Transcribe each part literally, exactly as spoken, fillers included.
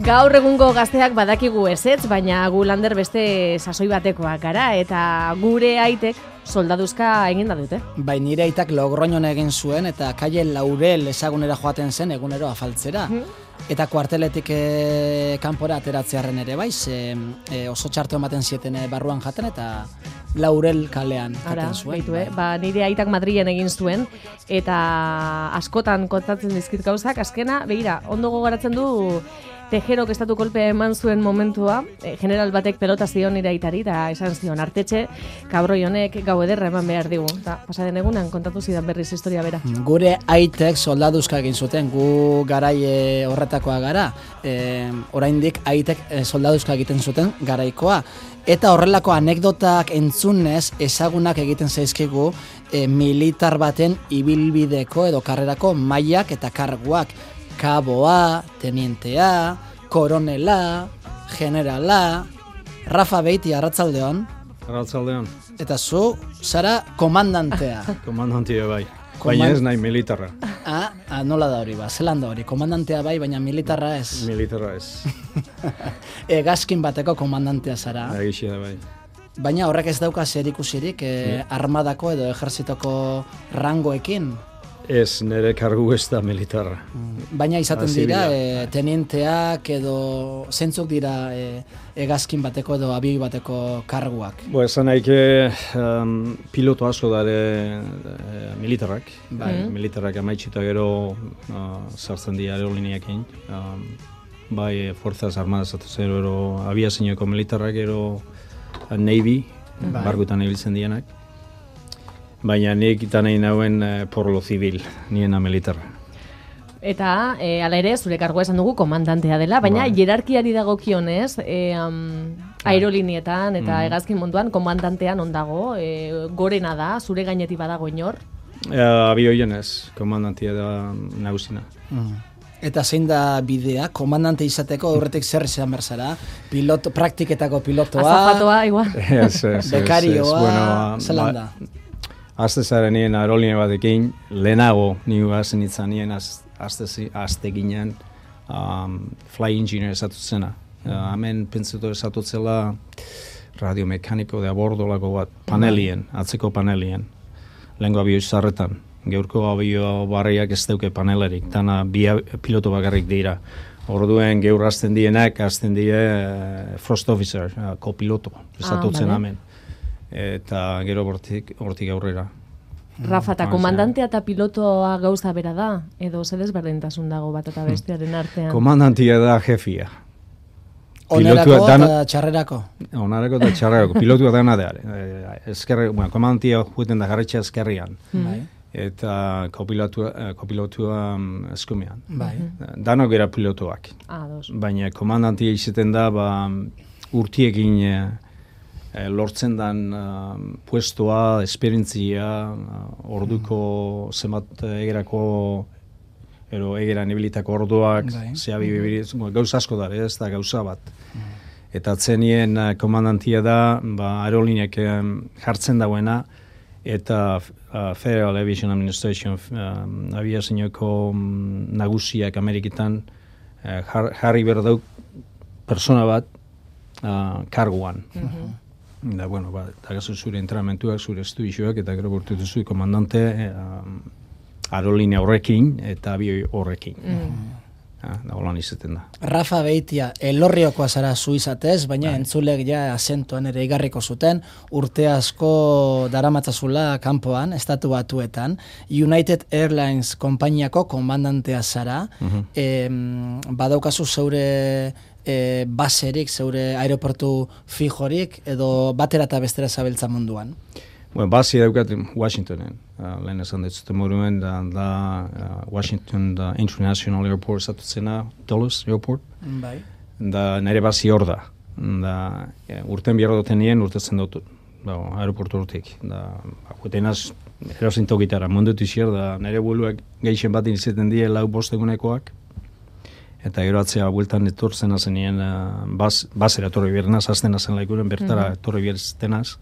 Gaur egungo gazteak badakigu ezetz, baina gu lander beste sasoi batekoak gara, eta gure aitek soldaduzka egin da dute. Bai, nire aitak Logroñon egin zuen, eta Kaie Laurel ezagunera joaten zen egunero afaltzera. Mm. Eta kuarteletik e, kanpora ateratzearen ere bai, ze, e, oso txartu ematen zieten e, barruan jaten, eta Laurel kalean jaten zuen. Baitu, eh? Ba, nire aitak Madrilen egin zuen, eta askotan kontatzen dizkit gauzak, azkena, begira, ondo gogoratzen du Tejerok estatu kolpea eman zuen momentua, eh, general batek pelota zion nire aitari, eta esan zion, artetxe, kabroi honek gau ederra eman behar digu. Ta, pasaden egunan kontatu zidan berriz historia bera. Gure aitek soldaduzka egin zuten, gu garai horretakoa gara, e, oraindik aitek soldaduzka egiten zuten garaikoa. Eta horrelako anekdotak entzunez ezagunak egiten zaizkigu e, militar baten ibilbideko edo karrerako mailak eta karguak. Kaboa, tenientea, koronela, generala, Rafa Beiti, arratzaldeon. Arratzaldeon. Eta zu, zara komandantea. Komandantea bai, baina ez nahi militarra. Ah, ah, nola da hori ba, zelan da hori, komandantea bai, baina militarra ez. Militarra ez. Egazkin bateko komandantea zara. Egizia da bai. Baina horrek ez dauka zer ikusirik eh, armadako edo ejertzitoko rangoekin. Ez, nire kargu ez da militarra. Baina izaten dira, e, tenienteak edo zentzuk dira e, egazkin bateko edo abioi bateko karguak. Bo, esan naike um, piloto asko dare e, militarrak. Bai. E, militarrak amaitxita gero uh, sartzen dira aeroliniakin. Um, bai, Fuerzas Armadas atuzero, ero abiazinoko militarrak, ero uh, Navy, bai. Bargutan ibiltzen dienak. Baina nik eta nahi nauen eh, porlo zibil, niena militarra. Eta, e, ala ere, zure kargoa esan dugu komandantea dela, baina bai. Hierarkiari dagokionez, e, um, aerolinietan eta mm. egazkin munduan, komandantean ondago, e, gorena da, zure gainetik badago inor? E, abioien ez, komandantea da nagusina. Mm. Eta zein da bidea, komandante izateko aurretik zer izan berzara? Piloto, praktiketako pilotoa, azafatoa, igual. Ez, ez, bekarioa, bueno, zelan da? Azte zaren nien aeroline batekin, lehenago nigu gazen itzan nien azte ginen um, fly engineer esatu zena. Uh, hemen pentsetu esatu zela radiomekaniko de abordolako bat, panelien, atzeko panelien. Lehenko abio izarretan, geurko abio barriak ez dauke panelerik, dana bi piloto bakarrik dira. Orduen geur azten dienak, azten die uh, Frost Officer, uh, kopiloto, esatu ah, zen hemen. Eta gero hortik hortik aurrera. Rafa, eta komandantea eta pilotoa gauza bera da? Edo ze desberdintasun dago bat eta bestearen artean? Komandantea da jefia. Onerako eta txarrerako? Onerako eta txarrerako. Pilotua dana da. Eskerri, bueno, komandantea jueten da jarretxe eskerrian. Bai. Eta kopilotua, kopilotua eskumean. Bai. Danok era pilotoak. Ah, dos. Baina komandantea izaten da, ba, urtiekin E, lortzen dan uh, puestoa, esperientzia, uh, orduko mm. zemat egerako, ero egeran ebilitako orduak, zea bibiriz, mm. gauz asko da, ez da gauza bat. Mm. Eta atzenien uh, komandantia da, ba, aerolineak um, jartzen dauena, eta uh, Federal Aviation Administration um, abiazinoko um, nagusiak Ameriketan uh, jar, jarri berdauk persona bat uh, karguan. Mm-hmm. Da, bueno, ba, eta gazo zure entrenamentuak, zure estuizioak, eta gero bortutu zui komandante eh, aerolinea horrekin eta abioi horrekin. Mm. Ah, da, holan izaten da. Rafa Beitia, elorriokoa zara zu izatez, baina bai. Entzulek ja azentuan ere igarriko zuten, urte asko daramatzazula kanpoan, estatu batuetan, United Airlines konpainiako komandantea zara, mm-hmm. e, badaukazu zeure E, baserik, zeure aeroportu fijorik, edo batera eta bestera zabiltza munduan? Bueno, base daukat Washingtonen. Uh, lehen esan dut moruen, da, da uh, Washington da International Airport zatutzena, Dulles Airport. Bai. Da nire base hor da. Da, e, urten biarra duten nien, urtetzen dut da, aeroportu urtik. Da, gutenaz, erosin tokitara, mundutu izier, da nire bueluak geixen bat inizieten die lau bostegunekoak. Eta gero atzea bueltan etortzen azenien, uh, bas, basera etorri bierenaz, azten azen laikuren, bertara mm-hmm. etorri bierenaz,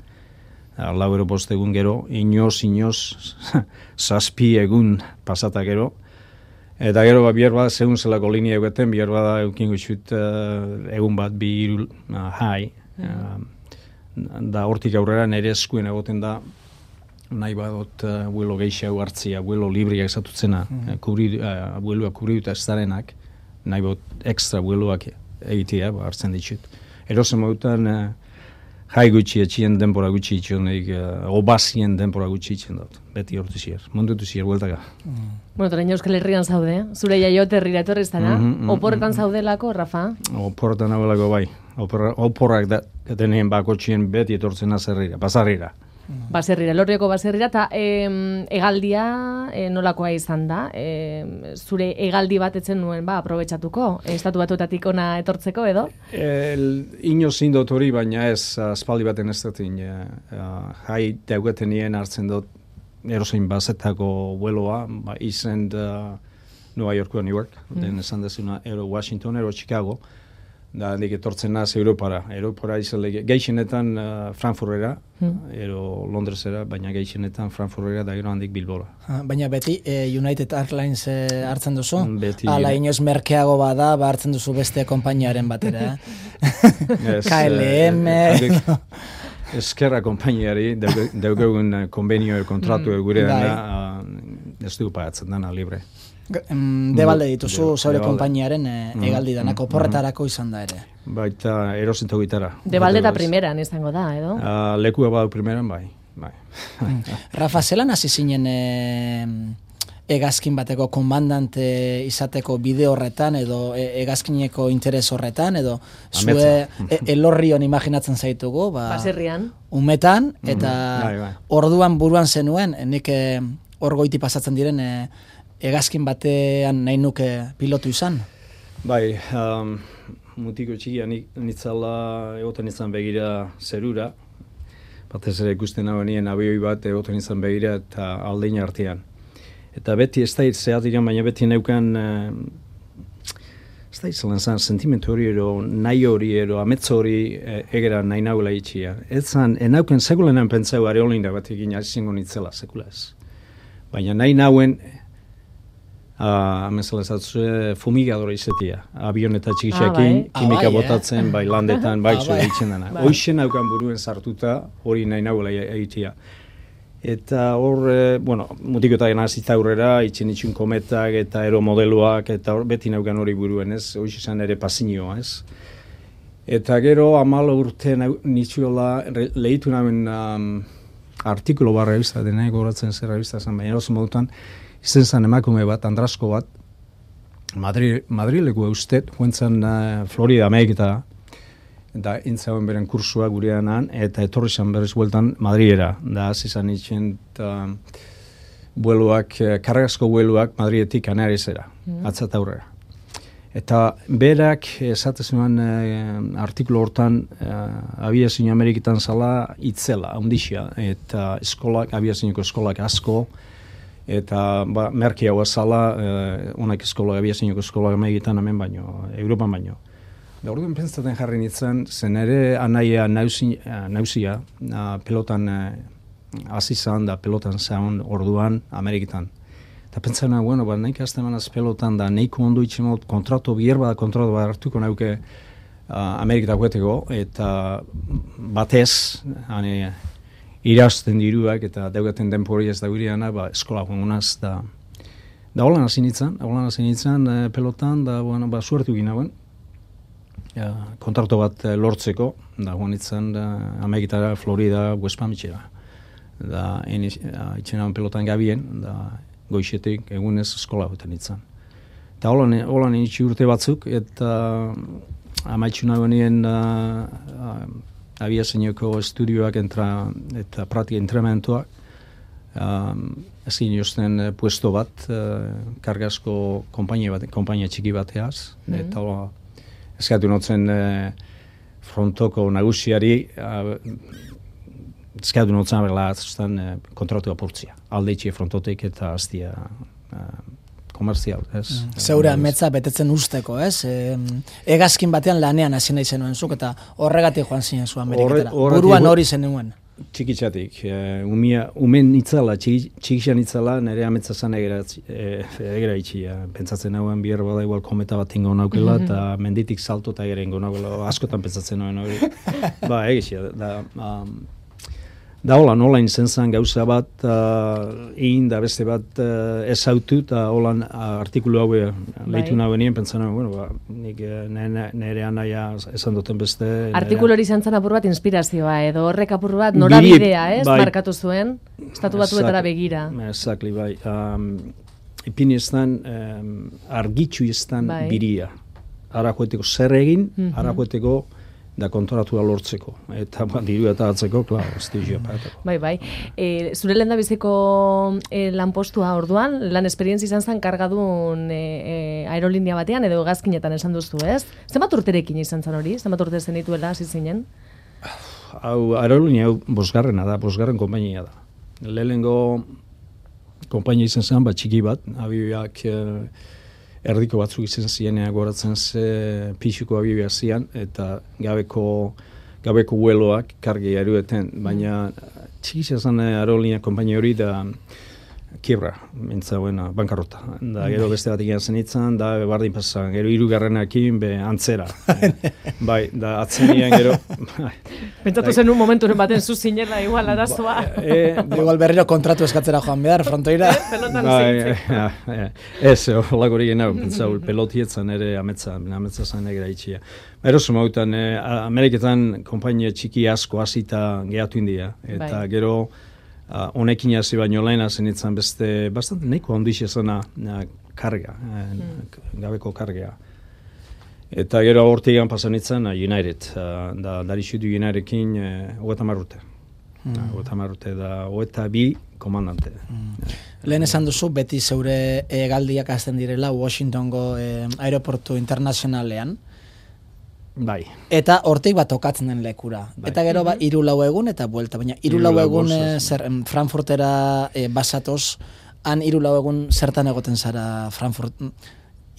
uh, lau ero postegun gero, inoz, inoz, zazpi egun pasata gero, Eta gero, ba, bihar bat, segun zelako linea egoten, bihar bat eukin gutxut uh, egun bat, bi hiru uh, hai. Mm. Uh, da hortik aurrera nire eskuen egoten da, nahi badot uh, buelo gehiago hartzia, buelo libriak esatutzena, mm. uh, kubri, uh, bueloa kubriuta ez zarenak, nahi badot ekstra bueloak egitea, ba, hartzen ditut. Erozen modutan, uh, jai gutxi etxien denpora gutxi itxon, uh, obazien denpora gutxi itxen dut. Beti hortu zier, mundutu zier, bueltaka. Mm. Bueno, torain Euskal Herrian zaude, zure jaiote herrira etorri zara, mm -hmm, oporretan mm -hmm. zaudelako, Rafa? Oporretan hauelako bai, Opor, oporrak da, deneen bakotxien beti etortzen azerrira, basarrira. Baserrira, Lorrioko baserrira, eta e, egaldia e, nolakoa izan da? E, zure egaldi bat etzen nuen, ba, aprobetxatuko, estatu batuetatik ona etortzeko, edo? El, ino zindot hori, baina ez, aspaldi baten ez dut, uh, jai daugatenien hartzen dut, erozein bazetako vueloa, ba, izen da Nueva Yorko, New York, mm. den esan dezuna, ero Washington, ero Chicago, da handik etortzen naz Europara. Europara izan geixenetan uh, Frankfurtera, mm. ero Londresera, baina geixenetan Frankfurtera da gero handik Bilbora. Ha, baina beti eh, United Airlines eh, hartzen duzu? Beti. Ala inoz merkeago bada, ba hartzen duzu beste konpainiaren batera. Eh? K L M... Eh, Eskerra konpainiari, daugegun konbenio kontratu mm, gure dena, uh, ez dugu pagatzen dana libre. Debalde dituzu zaure konpainiaren e, egaldi danak, oporretarako izan da ere. Baita erosinto gitara. Debalde eta primeran izango da, edo? Uh, lekua badu primeran, bai. bai. Rafa, zelan hasi zinen e, egazkin bateko komandante izateko bide horretan, edo e, egazkineko interes horretan, edo zue e, elorrion imaginatzen zaitugu, ba, baserrian, umetan, eta mm -hmm. orduan buruan zenuen, nik e, hor goiti pasatzen diren e, egazkin batean nahi nuke pilotu izan? Bai, um, mutiko txikia nitzala egoten izan begira zerura, batez ere ikusten hau nien abioi bat egoten izan begira eta aldein artean. Eta beti ez da zehat diren, baina beti neukan, uh, ez da izan zan, sentimentu hori ero, nahi hori ero, ametzo hori e, egera nahi nahuela itxia. Ez zan, enauken sekulenan pentsau are holinda bat egin azingo nitzela, sekula ez. Baina nahi nahuen, Uh, amezala ezatzue fumigadora izatea, avioneta txikixekin, ah, kimika ah, bai, botatzen, eh? bai landetan, bai zure ditzen dena. Bai. Hoixen haukan buruen sartuta, hori nahi nahuela egitea. Eta hor, eh, bueno, mutikoetan azita aurrera, itxen itxun kometak eta aeromodeloak, eta hor, beti naukan hori buruen, ez? Hoxe izan ere pasinioa, ez? Eta gero, amalo urte nitzuela, lehitu nahen um, artikulo bat revista, dena goratzen zer revista zen, baina eroso modutan, izen zen emakume bat, Andrasko bat, Madri, Madrileko eustet, huentzan uh, Florida Ameriketara, eta intzauen beren kursua gureanan, eta etorri zan berriz bueltan Madriera, da hasi zan itxen uh, bueluak, uh, kargazko bueluak Madrietik Kanariezera, mm. atzat aurrera. Eta berak esatezuen uh, artikulu hortan uh, abiazio Ameriketan zala itzela, ondixia, eta eskolak, abiazioko eskolak asko, eta ba, merki hau azala, uh, onak eskolak, abiazioeko eskolak Ameriketan hemen baino, Europan baino. Da orduan pentsatzen jarri nintzen, zen ere anaia nauzia, nauzia uh, pelotan hasi uh, zan da pelotan zaun orduan Ameriketan. Eta pentsatzen, bueno, ba, nahi kastemanaz pelotan da, nahiko ondo itxemot, kontrato bierba da kontrato bat hartuko nauke uh, Ameriketak gueteko, eta batez, hane, irazten diruak eta daugaten denpori ez da gureana, ba, eskola gongunaz, da, da holan hasi nintzen, holan hasi nintzen uh, pelotan, da, bueno, ba, suertu gina guen. Ja, kontratu bat uh, lortzeko, da guan itzen uh, Ameriketara, Florida, West Palm itxera. Da, uh, itxena pelotan gabien, da goixetik egunez eskola guten itzen. Eta holan, holan itxi urte batzuk, eta amaitxu nahonien uh, uh, abiazinoko estudioak entra, eta pratika entrementuak, um, ezin jozten uh, puesto bat, uh, kargazko kompainia, bat, kompainia txiki bateaz, mm -hmm. eta eskatu notzen eh, frontoko nagusiari uh, eskatu notzen abela atzustan eh, kontratu apurtzia. Alde itxie frontotek eta aztia uh, komerzial, ez? Mm. Zeure ametza betetzen usteko, ez? E, egazkin batean lanean hasi nahi zenuen zuk eta horregatik joan zinen zu Ameriketara. Horre, Buruan hori zenuen. txikitzatik. Uh, umia, umen nitzala, txikitza nitzala, nire ametsa zan egera itxi. Uh, pentsatzen hauen bier bada igual kometa bat ingo naukela, eta mm -hmm. menditik salto eta ere ingo naukela, askotan pentsatzen hauen hori. Ba, egitxia, da... Um, Da hola, nola inzen zen gauza bat, uh, egin da beste bat uh, ezautu, eta hola uh, artikulu hau lehitu nahi benien, pentsan, bueno, ba, nik nire anaia esan duten beste. Artikulu hori izan zen apur bat inspirazioa, edo horrek apur bat norabidea, ez, bai, markatu zuen, estatu batuetara begira. Exactly, bai. Um, ipini eztan, um, argitxu eztan bai. Biria. Arakoeteko zer egin, mm -hmm. arakoeteko da kontoratua lortzeko. Eta ba, diru eta atzeko, klar, estizioa paetako. Bai, bai. E, zure lehen da biziko e, lanpostua orduan, lan esperientzia izan zen kargadun e, e, aerolinia batean, edo hegazkinetan esan duzu, ez? Zenbat urterekin izan zen hori? Zenbat urte zen dituela, hasi zinen? Hau, aerolinia hau bosgarrena da, bosgarren konpainia da. Lehenengo konpainia izan zen, bat txiki bat, abioak... E, erdiko batzuk izan zienea goratzen ze pixuko abibia zian, eta gabeko, gabeko hueloak kargi erueten, baina txikizia zen aerolinia konpainia hori da kiebra, mintza buena, bankarrota. Da gero beste bat egian zen itzan, da bardin pasan, gero hirugarrenakin be antzera. Bai, da atzenian gero... Pentsatu zen un momenturen baten zu zinela igual arazoa. E, igual berriro kontratu eskatzera joan behar, frontoira. Pelotan zintzeko. Ez, holako hori genau, pentsau, pelotietzan ere ametza, ametza zen egira itxia. Eroso mautan, Ameriketan konpainia txiki asko hasita gehatu india, eta gero honekin hasi baino lehena zenitzen beste, bastante nahiko handixe zena karga, gabeko kargea. Eta gero hortigan pasan itzen United, da darixudu Unitedekin hogeta marrute. Hogeta marrute da hogeta bi komandante. Lehen esan duzu, beti zeure hegaldiak hasten direla Washingtongo aeroportu internazionalean. Bai. Eta hortik bat tokatzen den lekura. Bai. Eta gero ba hiru lau egun eta buelta, baina hiru lau egun e, zer Frankfurtera e, basatoz, han hiru lau egun zertan egoten zara Frankfurt.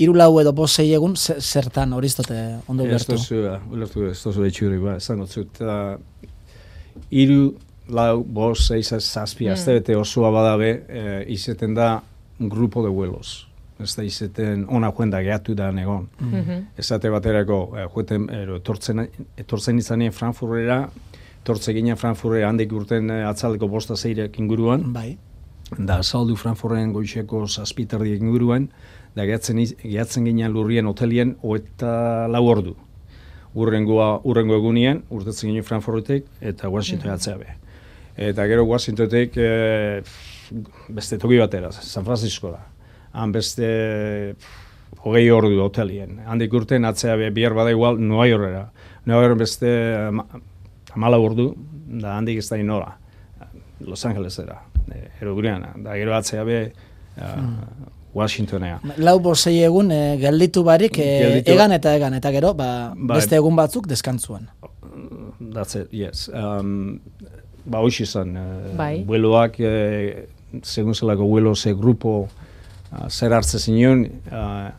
Hiru lau edo bost sei egun zertan horiztote ondo ulertu. Ez da, ulertu ez da itxuri, ba, esango zut. Hiru lau bost sei zazpi astebete osoa badabe, e, izeten da grupo de vuelos. Ez da izeten ona juenda gehatu da negon. Mm -hmm. Ezate baterako, eh, jueten, ero, etortzen, etortzen izanien Frankfurtera, etortze ginen Frankfurtera handik urten eh, atzaldeko bosta zeirek inguruan. Bai. Da azaldu Frankfurten goixeko zazpiterdiek inguruan, da gehatzen, gehatzen ginen lurrien hotelien oeta lau ordu. Urrengoa, urrengo egunien, urtetzen ginen Frankfurtetik eta Washington mm -hmm. atzea be. Eta gero Washingtonetik eh, beste toki batera, San Francisco da. Han beste hogei ordu hotelien. Handik urten atzea bihar bada igual Nueva Yorkera. Nueva York beste amala ordu, da handik ez da inora. Los Angelesera, eroguriana. Da gero atzea be uh, Washingtonea. Lau bosei egun e, gelditu barik e, egan eta egan, eta gero ba, ba, beste egun batzuk deskantzuan. That's it, yes. Um, ba hoxi izan, uh, bai. Bueloak, eh, segun zelako buelo ze grupo Uh, zer hartze zinon, uh,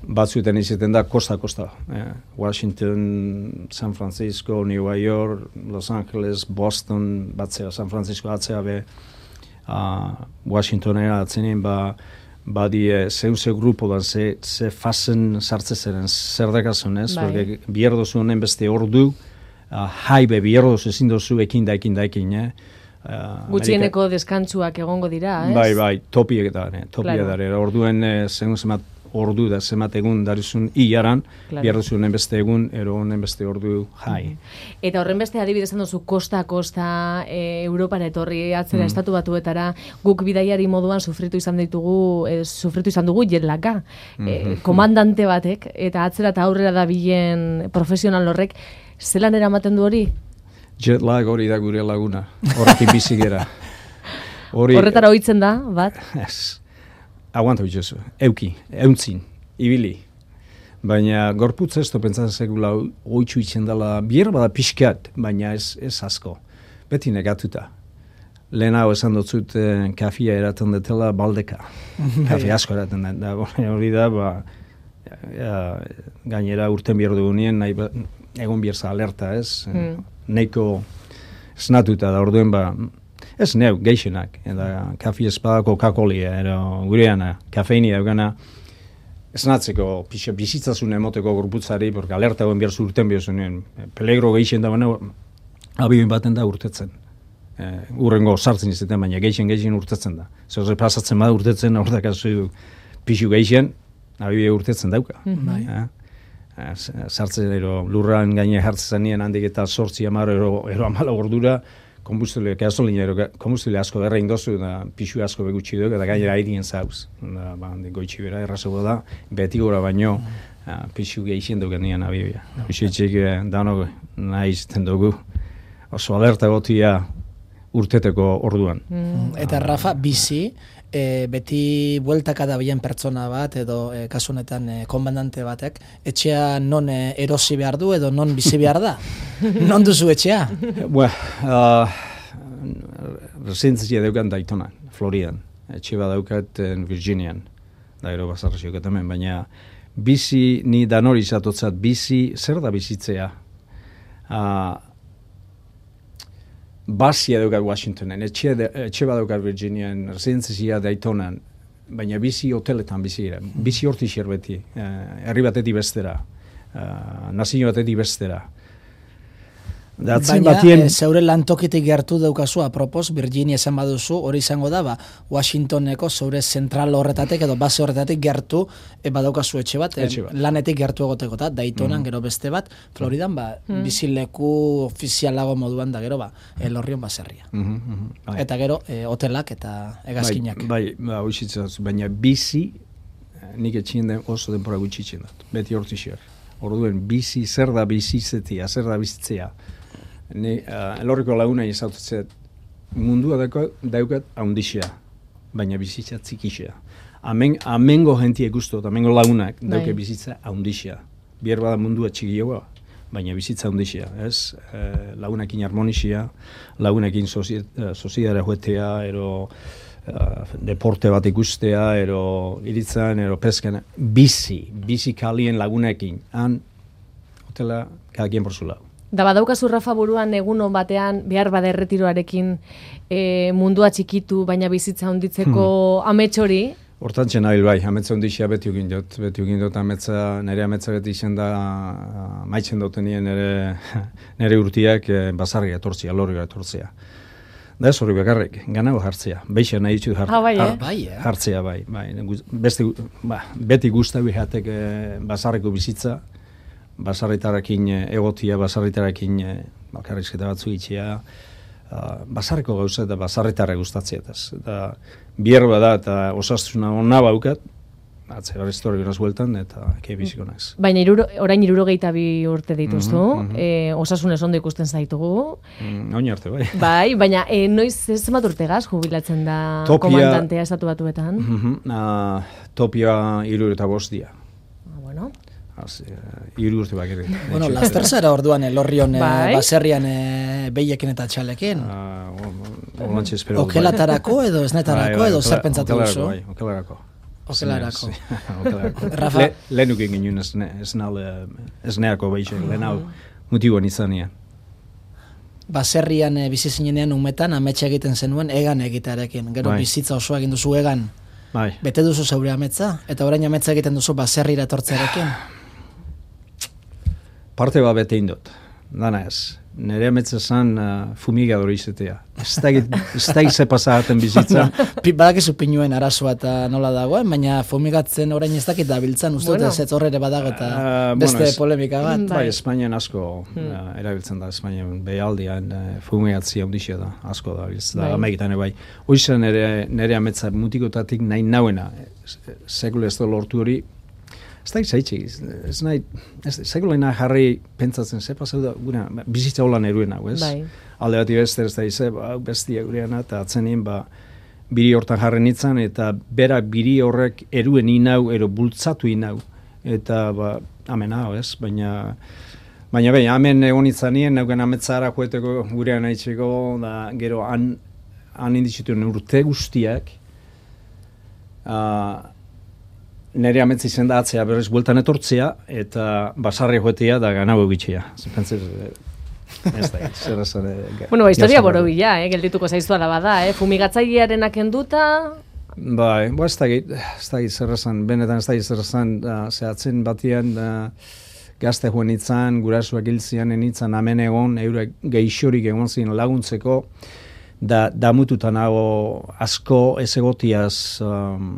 batzuetan izaten da kosta-kosta. Eh, Washington, San Francisco, New York, Los Angeles, Boston, batzea, San Francisco atzea be, uh, Washingtonera atzenien, ba, badi e, zeu-ze grupo da, ze, ze fasen sartze zeren, zer dakazun ez, porque bierdozu honen beste ordu, uh, haibe bierdozu ezin dozu ekin da, ekin da, ekin, eh? Uh, Gutxieneko Amerika... deskantzuak egongo dira, ez? Bai, bai, topiek da, ne, topia claro. Da, orduen eh, zen zemat ordu da, zemat egun darizun iaran, claro. Biarduzu honen beste egun, ero honen beste ordu jai. Mm -hmm. Eta horren beste adibidezan duzu kosta-kosta e, Europara etorri atzera mm. estatu batuetara, guk bidaiari moduan sufritu izan ditugu, e, sufritu izan dugu jetlaka, mm -hmm. e, komandante batek, eta atzera eta aurrera da bilen profesional horrek, zelan eramaten du hori? Jet lag hori da gure laguna, horrekin bizi gera. Horretara ohitzen da, bat? Ez, aguanta bitxozu, euki, euntzin, ibili. Baina gorputza ez da pentsatzen segula oitzu itzen dela, bier bada pixkat, baina ez, ez asko. Beti negatuta. Lehen hau esan dutzut eh, kafia eraten detela baldeka. Kafe asko eraten da, hori da, ba, ja, gainera urten bier dugunien, nahi ba, egon bierza alerta ez. Mm. Neiko esnatuta da orduen ba, ez neu, geixenak, eta kafi espada Coca-Cola, ero gureana, kafeinia eugana, esnatzeko, pixa bizitzazun emoteko gorputzari, porque alerta goen behar zurten behar zuen, peligro geixen da baina, abioin baten da urtetzen. Uh, urrengo sartzen izaten, baina geixen geixen urtetzen da. Zer pasatzen bada urtetzen, hor da kasu pixu geixen, abioia urtetzen dauka. Mm-hmm. Uh, sartzen ero lurran gaine jartzen zanien handik eta sortzi amaro ero, ero amala gordura, kombustile, gasolina, ero, kombustile asko berra indozu, da pixu asko begutsi duk, eta gainera airien zauz. Da, ba, goitxi bera, errazago da, beti gora baino, uh, pixu geixen duken nian abioia. Pixu etxik danok nahi izten dugu, oso alerta gotia urteteko orduan. Mm. Eta Rafa, bizi, e, beti bueltaka da bilen pertsona bat, edo e, kasu honetan e, komandante batek, etxea non e, erosi behar du, edo non bizi behar da? Non duzu etxea? Bueno, uh, residentzia daukat Daytonan, Floridan. Etxe bat daukat Virginian, da ero bazarrazioak hemen, baina bizi, ni danori izatotzat, bizi, zer da bizitzea? Uh, Basia daukat Washingtonen, etxe, etxe bat daukat Virginian, residentzia Daytonan, baina bizi hoteletan bizi gira, bizi horti beti, uh, herri batetik bestera, uh, nazio batetik bestera. Baina batien... e, zeure lantokitik gertu daukazu, apropos, Virginia esan baduzu, hori izango da, ba, Washingtoneko zeure zentral horretatik edo base horretatik gertu e, badaukazu etxe bat, etxe bat. E, lanetik gertu egoteko, eta Daytonan mm. gero beste bat, Floridan, ba, mm. bizileku ofizialago moduan da gero, ba, elorrion baserria. Mm -hmm, bai. Eta gero, e, hotelak eta egazkinak. Bai, bai, ba, baina bizi, nik etxien den oso denpora gutxitzen dut, beti hortixer. Orduen, bizi, zer da bizitzetia, zer da bizitzea. Ni uh, elorriko laguna izaututzet mundua daukat, daukat haundixea, baina bizitza txikixea. Amen, amengo jentie guztot, amengo lagunak dauke bizitza haundixea. Bier bada mundua txikioa, baina bizitza haundixea. Ez? E, lagunekin harmonixea, lagunekin soziedara joetea, ero uh, deporte bat ikustea, ero iritzan, ero peskan. Bizi, bizi kalien lagunekin. Han, hotela, kadakien por su lado. Da badaukazu Rafa buruan egunon batean behar bada erretiroarekin e, mundua txikitu baina bizitza honditzeko hmm. amets hori? Hortantzen nabil bai, ametsa hondixia beti egin dut, beti egin dut ametsa, nire ametsa beti izan da maitzen duten nire, nire, nire urtiak e, basarria etortzia, lorria etortzia. Da ez hori bakarrik, ganago jartzea, beixa nahi ditut jart, ah, bai, eh? bai, eh? jartzea bai, bai. Beste, ba, beti guztabi jatek e, basarriko bizitza, basarritarakin egotia, basarritarakin bakarrizketa batzu itxea, uh, basarriko gauza eta basarritara gustatzea. Eta bier bada eta osasuna onna baukat, atze bar historia graz bueltan eta eke biziko naiz. Baina iruro, orain hirurogeita bi urte dituztu, mm -hmm. e, osasunez ondo ikusten zaitugu. Mm, Oin arte, bai. Bai, baina e, noiz zenbat urtegaz jubilatzen da Topia, komandantea estatu batuetan? Mm -hmm, uh, Topia hirurogeita bost dia. Ah, bueno. Az, uh, iru urte bakere. Bueno, laster zara orduan elorrion bai? e, baserrian e, behiekin eta txalekin. Uh, espero. Okelatarako edo esnetarako bai, edo zer pentsatu duzu? Bai, okelarako. Okelarako. Rafa? Le, lehenukin ginen esneako behixek, lehen hau mutiboan izanian. Baserrian e, bizi zinenean umetan ametsa egiten zenuen egan egitearekin. Gero bai. Bizitza osoa egin duzu egan. Bai. Bete duzu zeure ametsa? Eta orain ametsa egiten duzu baserrira etortzearekin? Parte bat bete indot, dana ez. Nere ametsa zan uh, fumigadori izatea. Ez da ize pasagaten bizitza. Badakizu pinuen arazoa eta nola dagoen, baina fumigatzen orain ez dakit da biltzan, uste dut ez horrere badago eta uh, beste bueno, polemika bat. Bai, bai Espainian asko hmm. uh, erabiltzen da, Espainian behaldian uh, fumigatzia ondixia da, asko da biltzen da, amaikitan bai. Hoizan nere, nere ametsa mutikotatik nahi nauena, sekule ez da lortu hori, ez da izaitxik, ez nahi, sekule nahi jarri pentsatzen, ze pasau da, guna, bizitza holan eruen hau, ez? Bai. Alde bat ibeste ez da ize, ba, bestia gureana, eta atzenien, ba, biri hortan jarren nintzen, eta bera biri horrek eruen inau, ero bultzatu inau, eta, ba, amen hau, ez? Baina, baina, baina, amen egon itzanien, nauken ametzara joeteko gurean haitxeko, da, gero, han, han indizituen urte guztiak, uh, nire ametzi zen da atzea berriz bueltan etortzea, eta basarri joetea da ganago egitxea. Ez da, zer esan... Bueno, ba, historia borobila, eh, geldituko zaizu ala bada, eh, fumigatzailearenak enduta... Bai, bo, ez da git, ez da git zer esan, benetan ez da git zer esan, zehatzen batian, gazte joan itzan, gurasuak hiltzian enitzan, amen egon, eure geixorik egon zin laguntzeko, da damututa nago asko ez egotiaz, um,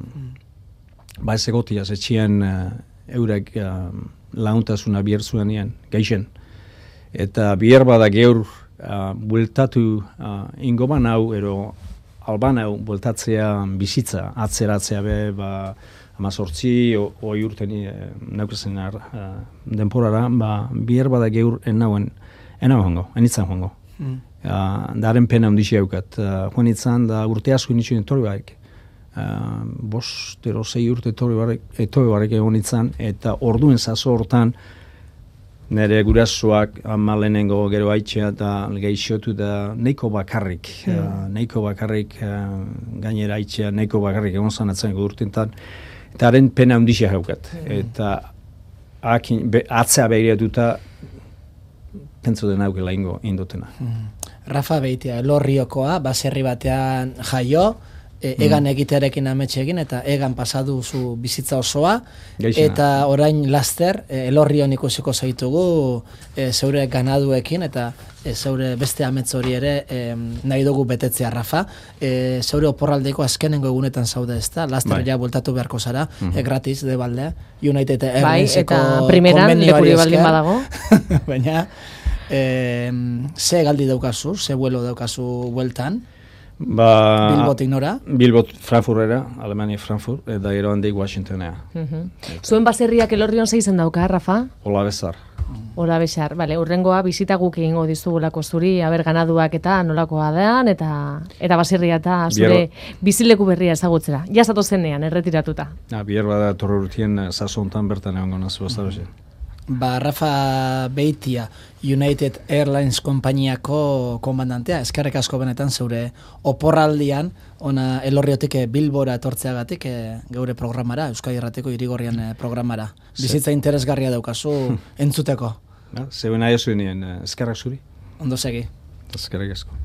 ba ez egotiaz, etxien uh, eurek uh, laguntasuna biertzuen nien, geixen. Eta bier bada geur uh, bueltatu uh, ingoban hau, ero alban hau bueltatzea bizitza, atzeratzea be, ba, amazortzi, oi urten e, neukezen uh, denporara, ba, bier bada geur enauen, enauen hongo, enitzan hongo. Mm. Uh, daren pena ondixi haukat. Uh, joan itzan, da urte asko initxuen etorri barik. Uh, bost, ero, zei urte etorri barik, etorri barik egon itzan, eta orduen zazo hortan, nire gurasoak amalenengo gero haitxea eta geixotu da neiko bakarrik. Mm. Uh, neiko bakarrik, uh, gainera haitxea neiko bakarrik egon zanatzen urtentan, eta haren pena ondixi haukat. Mm. Eta akin, be, atzea behiratuta, pentsu den haukela ingo indotena. Mm. Rafa Beitia, Elorriokoa, baserri batean jaio, e, egan mm. egitearekin ametxe egin, eta egan pasadu zu bizitza osoa, Geixena. Eta orain laster, e, Elorrion ikusiko zaitugu e, zeure ganaduekin, eta e, zeure beste amets hori ere e, nahi dugu betetzea, Rafa. E, zeure oporraldeko azkenengo egunetan zaude ez da, laster ja bueltatu beharko zara, mm -hmm. e, gratis, de balde, United Airlineseko bai, eta primeran lekuri baldin badago. Baina, E, ze galdi daukazu, ze vuelo daukazu bueltan? Ba, Bilbotik nora? Bilbot Frankfurtera, Alemania Frankfurt, eta gero handik Washingtonea. Uh -huh. Zuen baserriak Elorrion zeizen dauka, Rafa? Ola bezar. Ola bezar, bale, urrengoa bizita guk egingo dizugulako zuri, aber ganaduak eta nolakoa dean, eta eta baserria eta zure Bier... bizileku berria ezagutzera. Ja zato zenean, erretiratuta. Ja, bier bada torre urtien sazontan bertan egon gonazu bazarozen. Ba, Rafa Beitia, United Airlines konpainiako komandantea, eskerrik asko benetan zeure oporraldian, ona Elorriotik Bilbora etortzeagatik e, geure programara, Euskadi Irratiko Irigorrian e, programara. Bizitza interesgarria daukazu entzuteko. Zeuen aia zuen nien, eskerrak zuri. Ondo segi. Eskerrik asko.